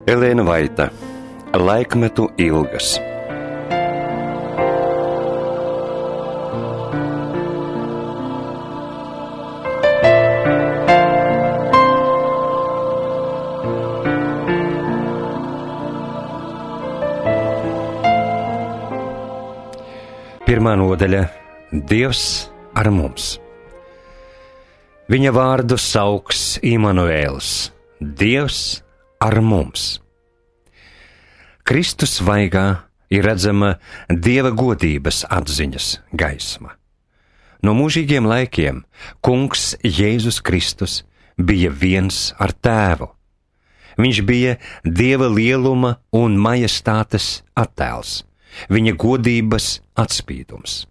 Elēna Vaita, Laikmetu ilgas. Pirmā nodaļa – Dievs ar mums. Viņa vārdu sauks Imanuēls, Dievs ar mums. Kristus vaigā ir redzama Dieva godības atziņas gaisma. No mūžīgiem laikiem Kungs Jēzus Kristus bija viens ar Tēvu. Viņš bija Dieva lieluma un majestātes attēls, viņa godības atspīdums.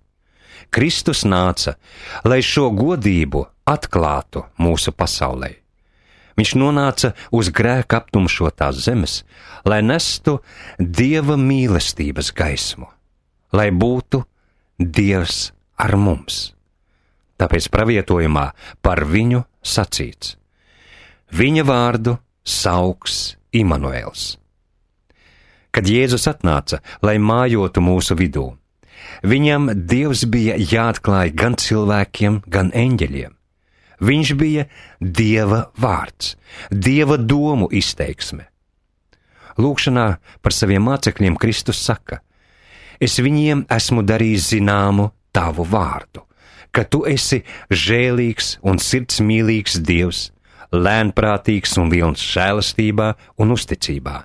Kristus nāca, lai šo godību atklātu mūsu pasaulē. Viņš nonāca uz grēka aptumšotās zemes, lai nestu Dieva mīlestības gaismu, lai būtu Dievs ar mums. Tāpēc pravietojumā par viņu sacīts: viņa vārdu sauks Imanuēls. Kad Jēzus atnāca, lai mājotu mūsu vidū, viņam Dievs bija jāatklāj gan cilvēkiem, gan eņģeļiem. Viņš bija Dieva vārds, Dieva domu izteiksme. Lūkšanā par saviem mācekļiem Kristus saka: es viņiem esmu darījis zināmu tavu vārdu, ka tu esi žēlīgs un sirdsmīlīgs Dievs, lēnprātīgs un pilns žēlastībā un uzticībā,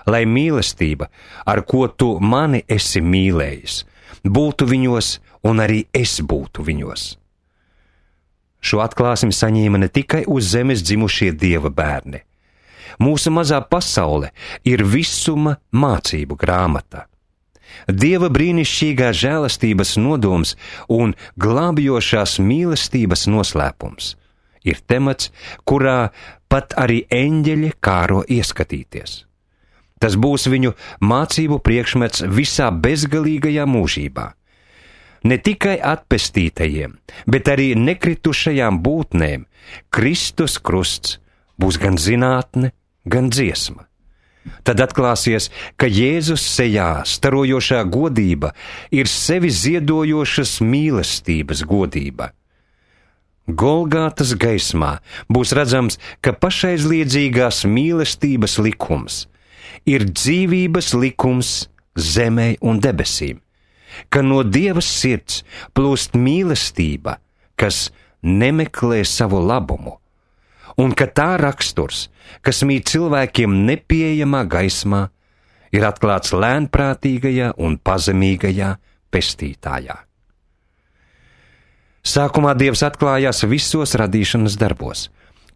lai mīlestība, ar ko tu mani esi mīlējis, būtu viņos un arī es būtu viņos. Šo atklāsmi saņēma ne tikai uz zemes dzimušie Dieva bērni. Mūsu mazā pasaule ir visuma mācību grāmata. Dieva brīnišķīgā žēlastības nodoms un glābjošās mīlestības noslēpums ir temats, kurā pat arī eņģeļi kāro ieskatīties. Tas būs viņu mācību priekšmets visā bezgalīgajā mūžībā. Ne tikai atpestītajiem, bet arī nekritušajām būtnēm Kristus krusts būs gan zinātne, gan dziesma. Tad atklāsies, ka Jēzus sejā starojošā godība ir sevi ziedojošas mīlestības godība. Golgātas gaismā būs redzams, ka pašaizliedzīgās mīlestības likums ir dzīvības likums zemē un debesīm, ka no Dieva sirds plūst mīlestība, kas nemeklē savu labumu, un ka tā raksturs, kas mīt cilvēkiem nepieejamā gaismā, ir atklāts lēnprātīgajā un pazemīgajā pestītājā. Sākumā Dievs atklājās visos radīšanas darbos.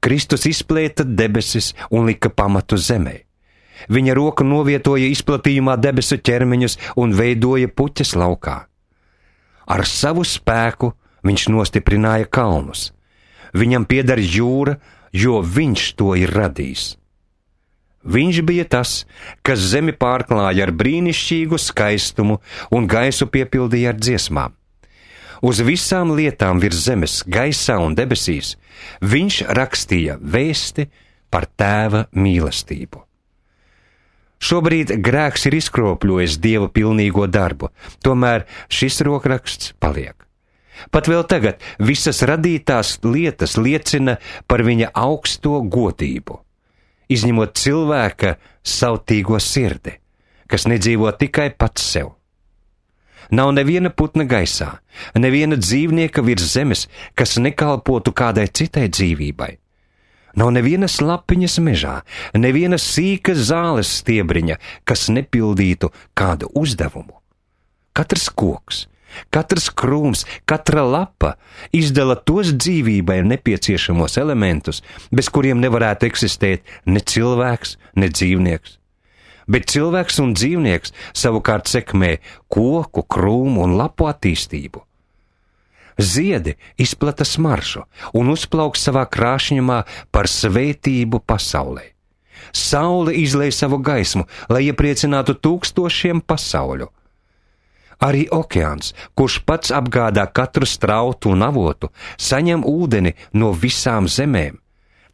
Kristus izplēta debesis un lika pamatu zemē. Viņa roka novietoja izplatījumā debesu ķermeņus un veidoja puķes laukā. Ar savu spēku viņš nostiprināja kalnus. Viņam pieder jūra, jo viņš to ir radījis. Viņš bija tas, kas zemi pārklāja ar brīnišķīgu skaistumu un gaisu piepildīja ar dziesmām. Uz visām lietām virs zemes, gaisā un debesīs viņš rakstīja vēsti par Tēva mīlestību. Šobrīd grēks ir izkropļojis Dieva pilnīgo darbu, tomēr šis rokraksts paliek. Pat vēl tagad visas radītās lietas liecina par viņa augsto godību, izņemot cilvēka sautīgo sirdi, kas nedzīvo tikai pats sev. Nav neviena putna gaisā, neviena dzīvnieka virs zemes, kas nekalpotu kādai citai dzīvībai. Nav nevienas lapiņas mežā, neviena sīka zāles stiebriņa, kas nepildītu kādu uzdevumu. Katrs koks, katrs krūms, katra lapa izdala tos dzīvībai nepieciešamos elementus, bez kuriem nevarētu eksistēt ne cilvēks, ne dzīvnieks. Bet cilvēks un dzīvnieks savukārt sekmē koku, krūmu un lapu attīstību. Ziedi izplata smaršu un uzplauks savā krāšņumā par svētību pasaulē. Saule izlej savu gaismu, lai iepriecinātu tūkstošiem pasauļu. Arī okeāns, kurš pats apgādā katru strautu un avotu, saņem ūdeni no visām zemēm.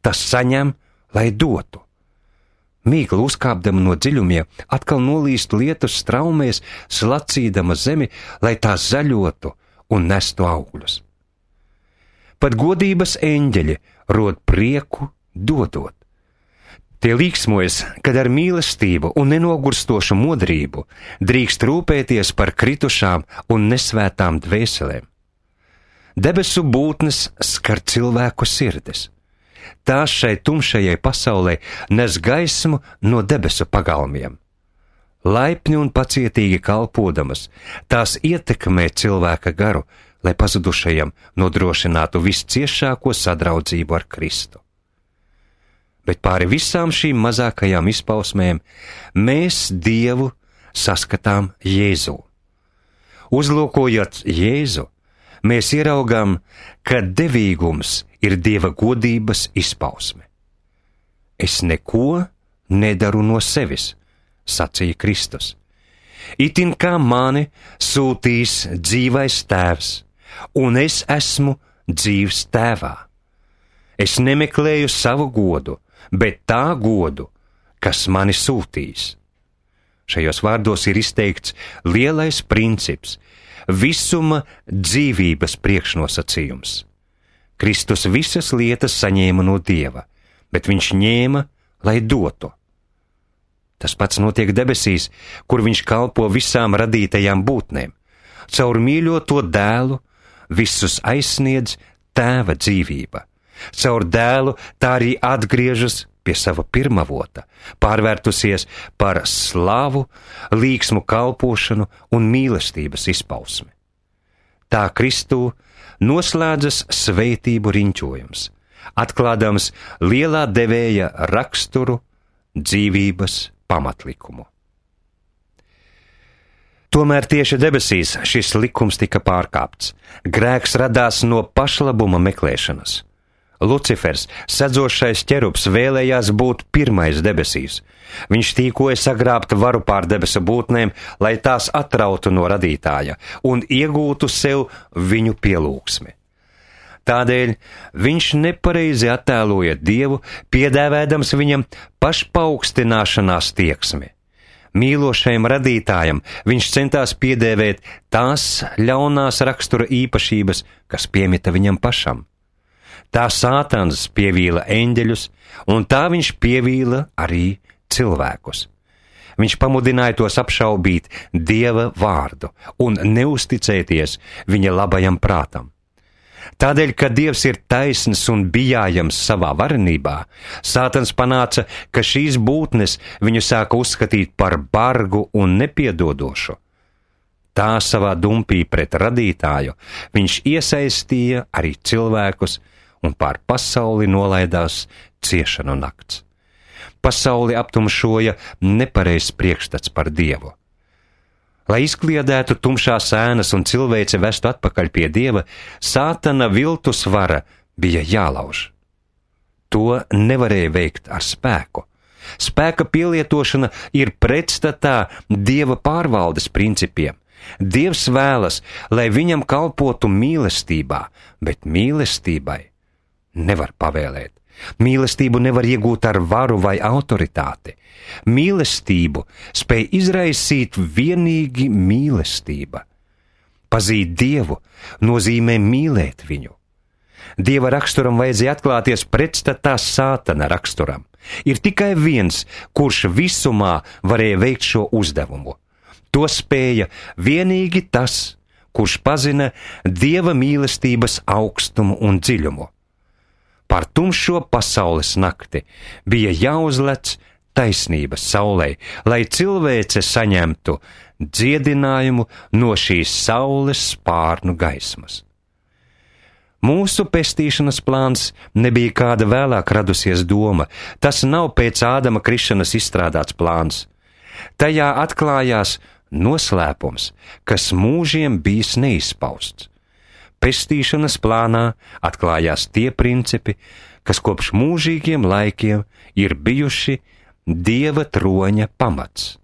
Tas saņem, lai dotu. Mīkla uzkāpdama no dziļumiem, atkal nolīst lietus straumēs, slacīdama zemi, lai tā zaļotu un nestu augļus. Pat godības eņģeļi rod prieku dodot. Tie līksmojas, kad ar mīlestību un nenogurstošu modrību drīkst rūpēties par kritušām un nesvētām dvēselēm. Debesu būtnes skar cilvēku sirdis. Tās šai tumšajai pasaulē nes gaismu no debesu pagalmiem. Laipni un pacietīgi kalpodamas, tās ietekmē cilvēka garu, lai pazudušajam nodrošinātu visciešāko sadraudzību ar Kristu. Bet pāri visām šīm mazākajām izpausmēm mēs Dievu saskatām Jēzū. Uzlūkojot Jēzu, mēs ieraugām, ka devīgums ir Dieva godības izpausme. Es neko nedaru no sevis, sacīja Kristus. Itin kā mani sūtīs dzīvais tēvs, un es esmu dzīvs tēvā. Es nemeklēju savu godu, bet tā godu, kas mani sūtīs. Šajos vārdos ir izteikts lielais princips, visuma dzīvības priekšnosacījums. Kristus visas lietas saņēma no Dieva, bet viņš ņēma, lai dotu. Tas pats notiek debesīs, kur viņš kalpo visām radītajām būtnēm. Caur mīļoto dēlu visus aizsniedz tēva dzīvība. Caur dēlu tā arī atgriežas pie sava pirmavota, pārvērtusies par slavu, līksmu kalpošanu un mīlestības izpausmi. Tā Kristū noslēdzas svētību riņķojums, atklādams lielā devēja raksturu, dzīvības pamatlikumu. Tomēr tieši debesīs šis likums tika pārkāpts. Grēks radās no pašlabuma meklēšanas. Lucifers, sedzošais ķerubs, vēlējās būt pirmais debesīs. Viņš tīkoja sagrābt varu pār debesu būtnēm, lai tās atrautu no radītāja un iegūtu sev viņu pielūgsmi. Tādēļ viņš nepareizi attēloja Dievu, piedāvādams viņam pašpaaugstināšanās tieksmi. Mīlošajam radītājam viņš centās piedēvēt tās ļaunās rakstura īpašības, kas piemita viņam pašam. Tā Sātans pievīla eņģeļus, un tā viņš pievīla arī cilvēkus. Viņš pamudināja tos apšaubīt Dieva vārdu un neusticēties viņa labajam prātam. Tādēļ, ka Dievs ir taisns un bijājams savā varenībā, Sātans panāca, ka šīs būtnes viņu sāka uzskatīt par bargu un nepiedodošu. Tā savā dumpī pret radītāju viņš iesaistīja arī cilvēkus, un pār pasauli nolaidās ciešanu nakts. Pasauli aptumšoja nepareizs priekšstats par Dievu. Lai izkliedētu tumšās ēnas un cilvēci vestu atpakaļ pie Dieva, Sātana viltus vara bija jālauž. To nevarēja veikt ar spēku. Spēka pielietošana ir pretstatā Dieva pārvaldes principiem. Dievs vēlas, lai viņam kalpotu mīlestībā, bet mīlestībai nevar pavēlēt. Mīlestību nevar iegūt ar varu vai autoritāti. Mīlestību spēj izraisīt vienīgi mīlestība. Pazīt Dievu nozīmē mīlēt viņu. Dieva raksturam vajadzēja atklāties pretstatā Sātana raksturam. Ir tikai viens, kurš visumā varēja veikt šo uzdevumu. To spēja vienīgi tas, kurš pazina Dieva mīlestības augstumu un dziļumu. Par tumšo pasaules nakti bija jāuzlec taisnības saulē, lai cilvēce saņemtu dziedinājumu no šīs saules spārnu gaismas. Mūsu pestīšanas plāns nebija kāda vēlāk radusies doma, tas nav pēc Ādama krišanas izstrādāts plāns. Tajā atklājās noslēpums, kas mūžiem bijis neizpausts. Pestīšanas plānā atklājās tie principi, kas kopš mūžīgiem laikiem ir bijuši Dieva troņa pamats.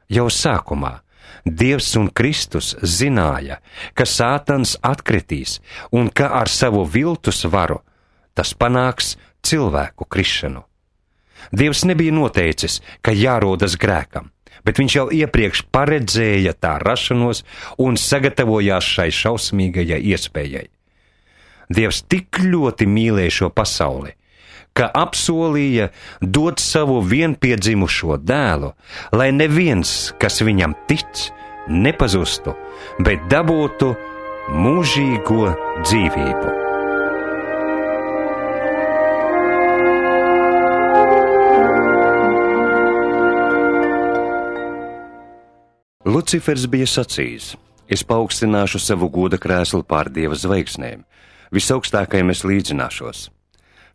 Jau sākumā Dievs un Kristus zināja, ka Sātans atkritīs un ka ar savu viltus varu tas panāks cilvēku krišanu. Dievs nebija noteicis, ka jārodas grēkam, bet viņš jau iepriekš paredzēja tā rašanos un sagatavojās šai šausmīgajai iespējai. Dievs tik ļoti mīlēja šo pasauli, ka apsolīja dot savu vienpiedzimušo dēlu, lai neviens, kas viņam tic, nepazustu, bet dabūtu mūžīgo dzīvību. Lucifers bija sacījis: es paaugstināšu savu goda krēslu pār Dieva zvaigznēm, visaugstākajam es līdzināšos.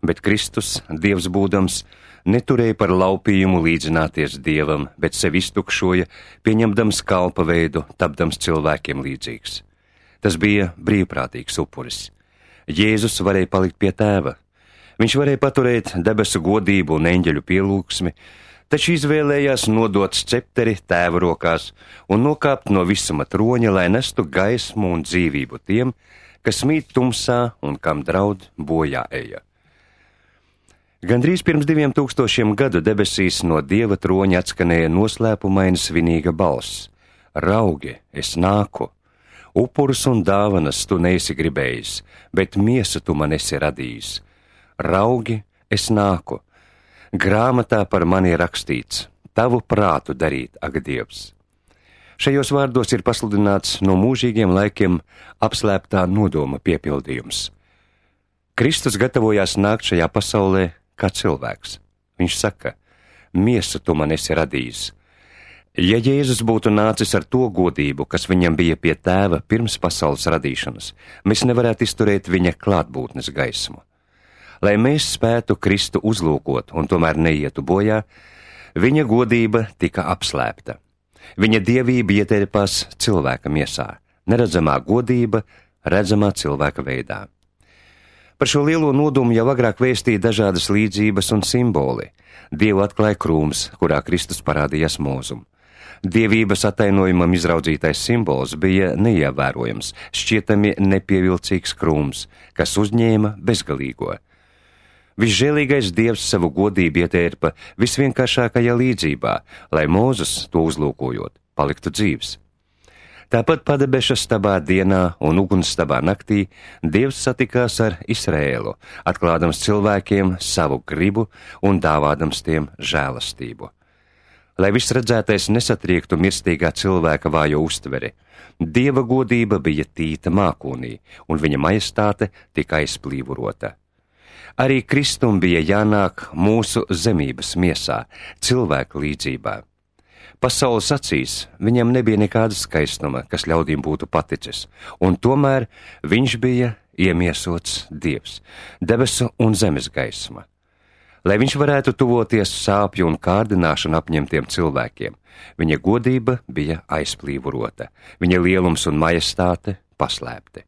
Bet Kristus, Dievs būdams, neturēja par laupījumu līdzināties Dievam, bet sevi iztukšoja, pieņemdams kalpa veidu, tapdams cilvēkiem līdzīgs. Tas bija brīvprātīgs upuris. Jēzus varēja palikt pie tēva. Viņš varēja paturēt debesu godību un eņģeļu pielūgsmi, taču izvēlējās nodot scepteri tēva rokās un nokāpt no visuma troņa, lai nestu gaismu un dzīvību tiem, kas mīt tumsā un kam draud bojā eja. Gandrīz pirms 2000 gadu debesīs no Dieva troņa atskanēja noslēpumaina svinīga balss: Raugi, es nāku! Upurus un dāvanas tu neesi gribējis, bet miesu tu man esi radījis. Raugi, es nāku! Grāmatā par mani ir rakstīts: tavu prātu darīt, ak Dievs! Šajos vārdos ir pasludināts no mūžīgiem laikiem apslēptā nodoma piepildījums. Kristus gatavojās nākt šajā pasaulē kā cilvēks. Viņš saka: miesu tu man esi radījis. Ja Jēzus būtu nācis ar to godību, kas viņam bija pie tēva pirms pasaules radīšanas, mēs nevarētu izturēt viņa klātbūtnes gaismu. Lai mēs spētu Kristu uzlūkot un tomēr neietu bojā, viņa godība tika apslēpta. Viņa dievība ieterpās cilvēka miesā, neredzamā godība redzamā cilvēka veidā. Par šo lielo nodomu jau agrāk vēstīja dažādas līdzības un simboli. Dievu atklāja krūms, kurā Kristus parādījās mūzum. Dievības attainojumam izraudzītais simbols bija neievērojams, šķietami nepievilcīgs krūms, kas uzņēma bezgalīgo. Visžēlīgais Dievs savu godību ietērpa visvienkāršākajā līdzībā, lai Mūzes to uzlūkojot, paliktu dzīvs. Tāpat padebeša stabā dienā un ugunstabā naktī Dievs satikās ar Izraēlu, atklādams cilvēkiem savu gribu un dāvādams tiem žēlastību. Lai viss redzētais nesatriektu mirstīgā cilvēka vājo uztveri, Dieva godība bija tīta mākonī, un viņa majestāte tika aizplīvurota. Arī Kristum bija jānāk mūsu zemības miesā, cilvēka līdzībā. Pasaules acīs viņam nebija nekāda skaistuma, kas ļaudīm būtu paticis, un tomēr viņš bija iemiesots Dievs, debesu un zemes gaisma. Lai viņš varētu tuvoties sāpju un kārdināšanu apņemtiem cilvēkiem, viņa godība bija aizplīvurota, viņa lielums un majestāte paslēpti.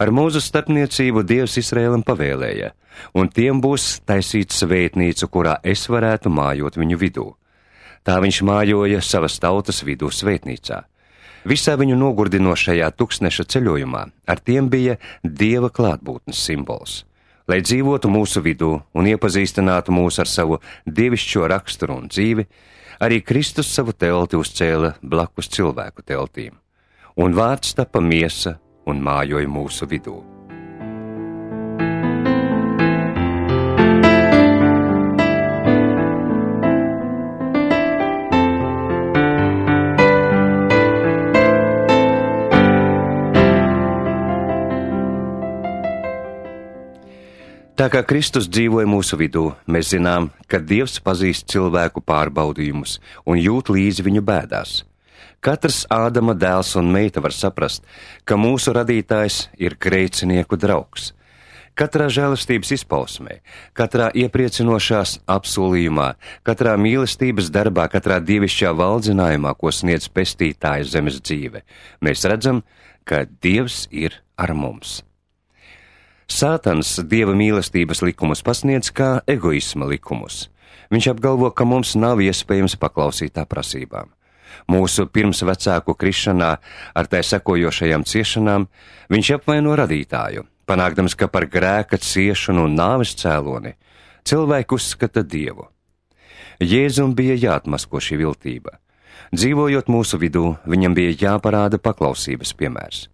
Ar Mūzes starpniecību Dievs Izraēlam pavēlēja, un tiem būs taisīts svētnīcu, kurā es varētu mājot viņu vidū. Tā viņš mājoja savas tautas vidū svētnīcā. Visā viņu nogurdinošajā tuksneša ceļojumā ar tiem bija Dieva klātbūtnes simbols. Lai dzīvotu mūsu vidū un iepazīstinātu mūs ar savu dievišķo raksturu un dzīvi, arī Kristus savu telti uzcēla blakus cilvēku teltīm, un vārds tapa miesa un mājoja mūsu vidū. Tā kā Kristus dzīvoja mūsu vidū, mēs zinām, ka Dievs pazīst cilvēku pārbaudījumus un jūt līdzi viņu bēdās. Katrs Ādama dēls un meita var saprast, ka mūsu radītājs ir grēcinieku draugs. Katrā žēlastības izpausmē, katrā iepriecinošās apsolījumā, katrā mīlestības darbā, katrā dievišķā valdzinājumā, ko sniedz pestītāja zemes dzīve, mēs redzam, ka Dievs ir ar mums. Sātans Dieva mīlestības likumus pasniedz kā egoisma likumus. Viņš apgalvo, ka mums nav iespējams paklausīt tā prasībām. Mūsu pirmsvecāku krišanā ar tai sekojošajām ciešanām viņš apvaino radītāju, panākdams, ka par grēka ciešanu un nāves cēloni Cilvēki uzskata Dievu. Jēzum bija jāatmasko šī viltība. Dzīvojot mūsu vidū, viņam bija jāparāda paklausības piemērs.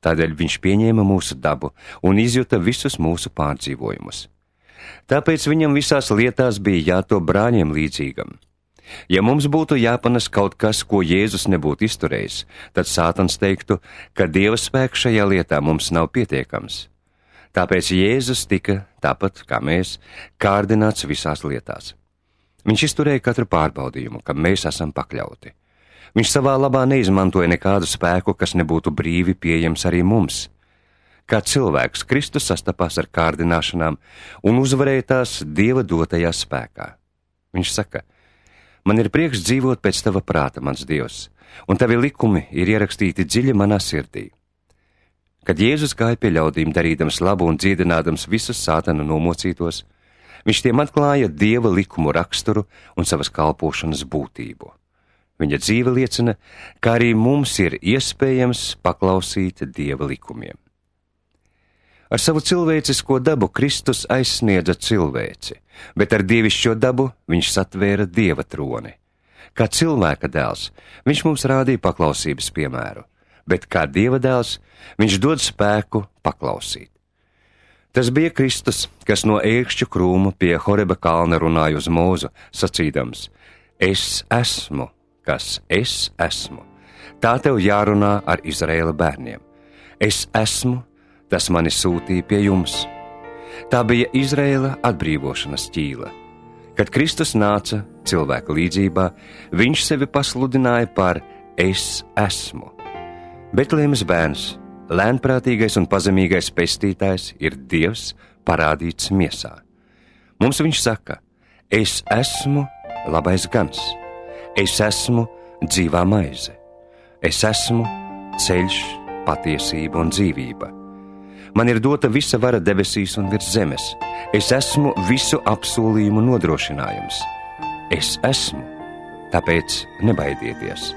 Tādēļ viņš pieņēma mūsu dabu un izjuta visus mūsu pārdzīvojumus. Tāpēc viņam visās lietās bija jātop brāļiem līdzīgam. Ja mums būtu jāpanes kaut kas, ko Jēzus nebūtu izturējis, tad Sātans teiktu, ka Dieva spēks šajā lietā mums nav pietiekams. Tāpēc Jēzus tika, tāpat kā mēs, kārdināts visās lietās. Viņš izturēja katru pārbaudījumu, kam mēs esam pakļauti. Viņš savā labā neizmantoja nekādu spēku, kas nebūtu brīvi pieejams arī mums. Kā cilvēks, Kristus sastapās ar kārdināšanām un uzvarēja tās Dieva dotajā spēkā. Viņš saka: man ir prieks dzīvot pēc tava prāta, mans Dievs, un tavi likumi ir ierakstīti dziļi manā sirdī. Kad Jēzus gāja pie ļaudīm, darīdams labu un dziedinādams visus Sātana nomocītos, viņš tiem atklāja Dieva likumu raksturu un savas kalpošanas būtību. Viņa dzīve liecina, ka arī mums ir iespējams paklausīt Dieva likumiem. Ar savu cilvēcisko dabu Kristus aizsniedza cilvēci, bet ar dievišķo dabu viņš satvēra Dieva troni. Kā cilvēka dēls, viņš mums rādīja paklausības piemēru, bet kā Dieva dēls, viņš dod spēku paklausīt. Tas bija Kristus, kas no ērkšķu krūma pie Horeba kalna runāja uz Mūzu, sacīdams: es esmu, kas es esmu. Tā tev jārunā ar Izraēla bērniem. Es esmu, tas mani sūtīja pie jums. Tā bija Izraēla atbrīvošanas ķīla. Kad Kristus nāca cilvēka līdzībā, viņš sevi pasludināja par es esmu. Betlēmes bērns, lēnprātīgais un pazemīgais pestītājs, ir Dievs parādīts miesā. Mums viņš saka: es esmu labais gans. Es esmu dzīvā maize. Es esmu ceļš, patiesība un dzīvība. Man ir dota visa vara debesīs un virs zemes. Es esmu visu apsolījumu nodrošinājums. Es esmu, tāpēc nebaidieties.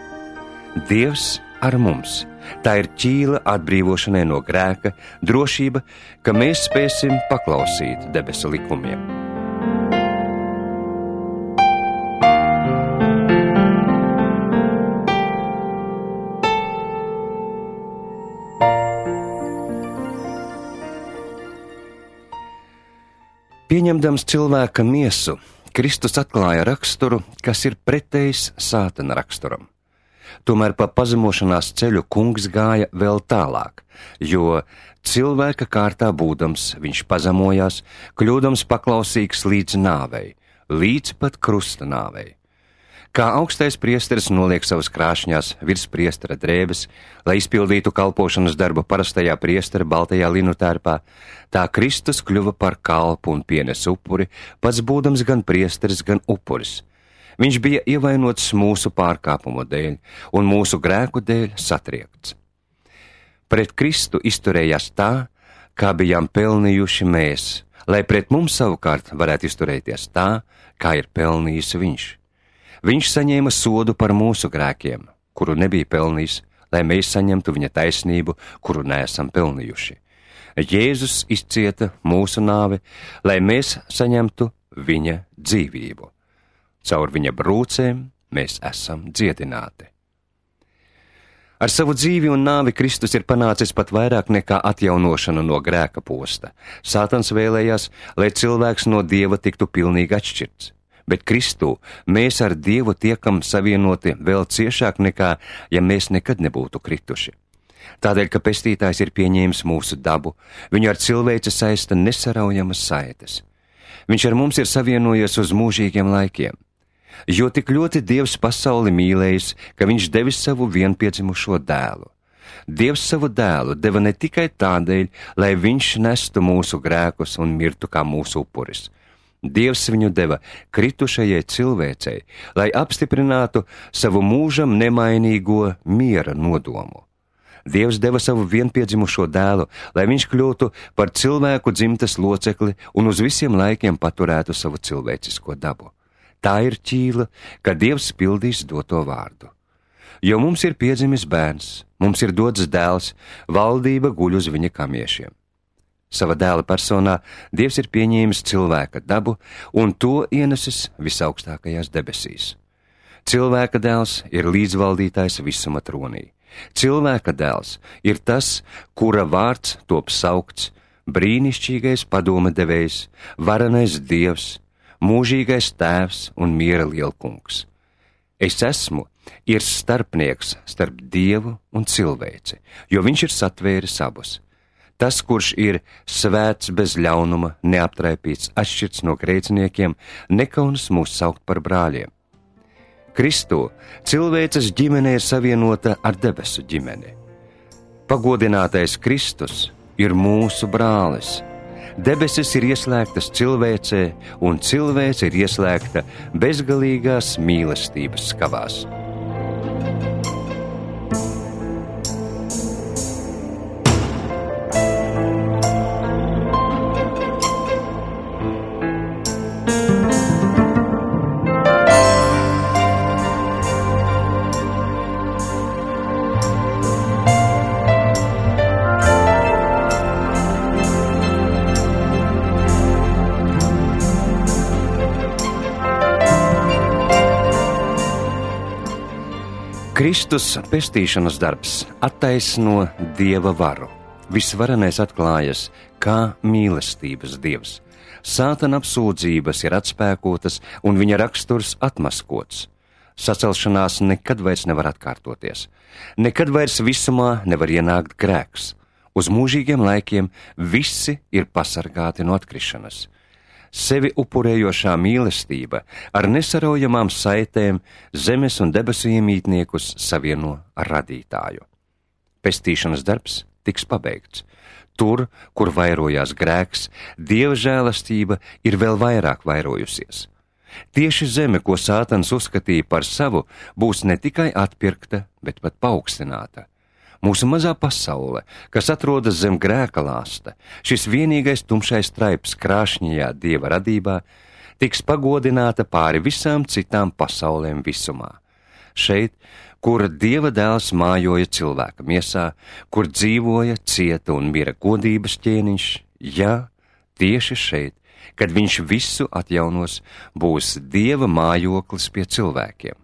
Dievs ar mums. Tā ir ķīla atbrīvošanai no grēka, drošība, ka mēs spēsim paklausīt debesu likumiem. Pieņemdams cilvēka miesu, Kristus atklāja raksturu, kas ir pretējs Sātana raksturam. Tomēr pa pazemošanās ceļu kungs gāja vēl tālāk, jo cilvēka kārtā būdams viņš pazemojās, kļūdams paklausīgs līdz nāvei, līdz pat krusta nāvei. Kā augstais priesteris noliek savas krāšņās virs priestera drēbes, lai izpildītu kalpošanas darbu parastajā priestera baltajā linu tērpā, tā Kristus kļuva par kalpu un pienes upuri, pats būdams gan priesteris, gan upuris. Viņš bija ievainots mūsu pārkāpumu dēļ un mūsu grēku dēļ satriekts. Pret Kristu izturējās tā, kā bijām pelnījuši mēs, lai pret mums savukārt varētu izturēties tā, kā ir pelnījis viņš. Viņš saņēma sodu par mūsu grēkiem, kuru nebija pelnījis, lai mēs saņemtu viņa taisnību, kuru neesam pelnījuši. Jēzus izcieta mūsu nāvi, lai mēs saņemtu viņa dzīvību. Caur viņa brūcēm mēs esam dziedināti. Ar savu dzīvi un nāvi Kristus ir panācis pat vairāk nekā atjaunošanu no grēka posta. Sātans vēlējās, lai cilvēks no Dieva tiktu pilnīgi atšķirts. Bet Kristū mēs ar Dievu tiekam savienoti vēl ciešāk nekā, ja mēs nekad nebūtu krituši. Tādēļ, ka pestītājs ir pieņēmis mūsu dabu, viņu ar cilvēci saista nesaraujamas saites. Viņš ar mums ir savienojies uz mūžīgiem laikiem. Jo tik ļoti Dievs pasauli mīlējis, ka viņš devis savu vienpiedzimušo dēlu. Dievs savu dēlu deva ne tikai tādēļ, lai viņš nestu mūsu grēkus un mirtu kā mūsu upuris. Dievs viņu deva kritušajai cilvēcei, lai apstiprinātu savu mūžam nemainīgo miera nodomu. Dievs deva savu vienpiedzimušo dēlu, lai viņš kļūtu par cilvēku dzimtes locekli un uz visiem laikiem paturētu savu cilvēcisko dabu. Tā ir ķīla, ka Dievs pildīs doto vārdu. Jo mums ir piedzimis bērns, mums ir dots dēls, valdība guļ uz viņa kamiešiem. Sava dēla personā Dievs ir pieņēmis cilvēka dabu un to ienesis visaugstākajās debesīs. Cilvēka dēls ir līdzvaldītājs visuma tronī. Cilvēka dēls ir tas, kura vārds top saukts brīnišķīgais padome devējs, varenais Dievs, mūžīgais tēvs un miera lielkungs. Es esmu ir starpnieks starp Dievu un cilvēci, jo viņš ir satvēris abus. Tas, kurš ir svēts bez ļaunuma, neaptraipīts, atšķirts no grēciniekiem, nekaunas mūs saukt par brāļiem. Kristū cilvēces ģimene ir savienota ar debesu ģimeni. Pagodinātais Kristus ir mūsu brālis. Debesis ir ieslēgtas cilvēcē, un cilvēce ir ieslēgta bezgalīgās mīlestības skavās. Kristus pestīšanas darbs attaisno Dieva varu. Visvarenais atklājas kā mīlestības Dievs. Sātana apsūdzības ir atspēkotas un viņa raksturs atmaskots. Sacelšanās nekad vairs nevar atkārtoties. Nekad vairs visumā nevar ienākt grēks. Uz mūžīgiem laikiem visi ir pasargāti no atkrišanas. Sevi upurējošā mīlestība ar nesaraujamām saitēm zemes un debesu iemītniekus savieno ar radītāju. Pestīšanas darbs tiks pabeigts. Tur, kur vairojās grēks, Dieva žēlastība ir vēl vairāk vairojusies. Tieši zeme, ko Sātans uzskatīja par savu, būs ne tikai atpirkta, bet pat paaugstināta. Mūsu mazā pasaule, kas atrodas zem grēka lāsta, šis vienīgais tumšais traips krāšņajā Dieva radībā, tiks pagodināta pāri visām citām pasaulēm visumā. Šeit, kur Dieva dēls mājoja cilvēka miesā, kur dzīvoja, cieta un mira godības ķēniņš, jā, tieši šeit, kad viņš visu atjaunos, būs Dieva mājoklis pie cilvēkiem.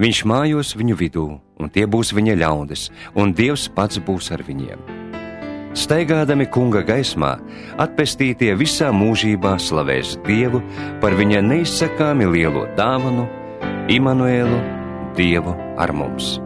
Viņš mājos viņu vidū, un tie būs viņa ļaudis, un Dievs pats būs ar viņiem. Staigādami kunga gaismā, atpestītie visā mūžībā slavēs Dievu par viņa neizsakāmi lielo dāvanu, Imanuēlu, Dievu ar mums.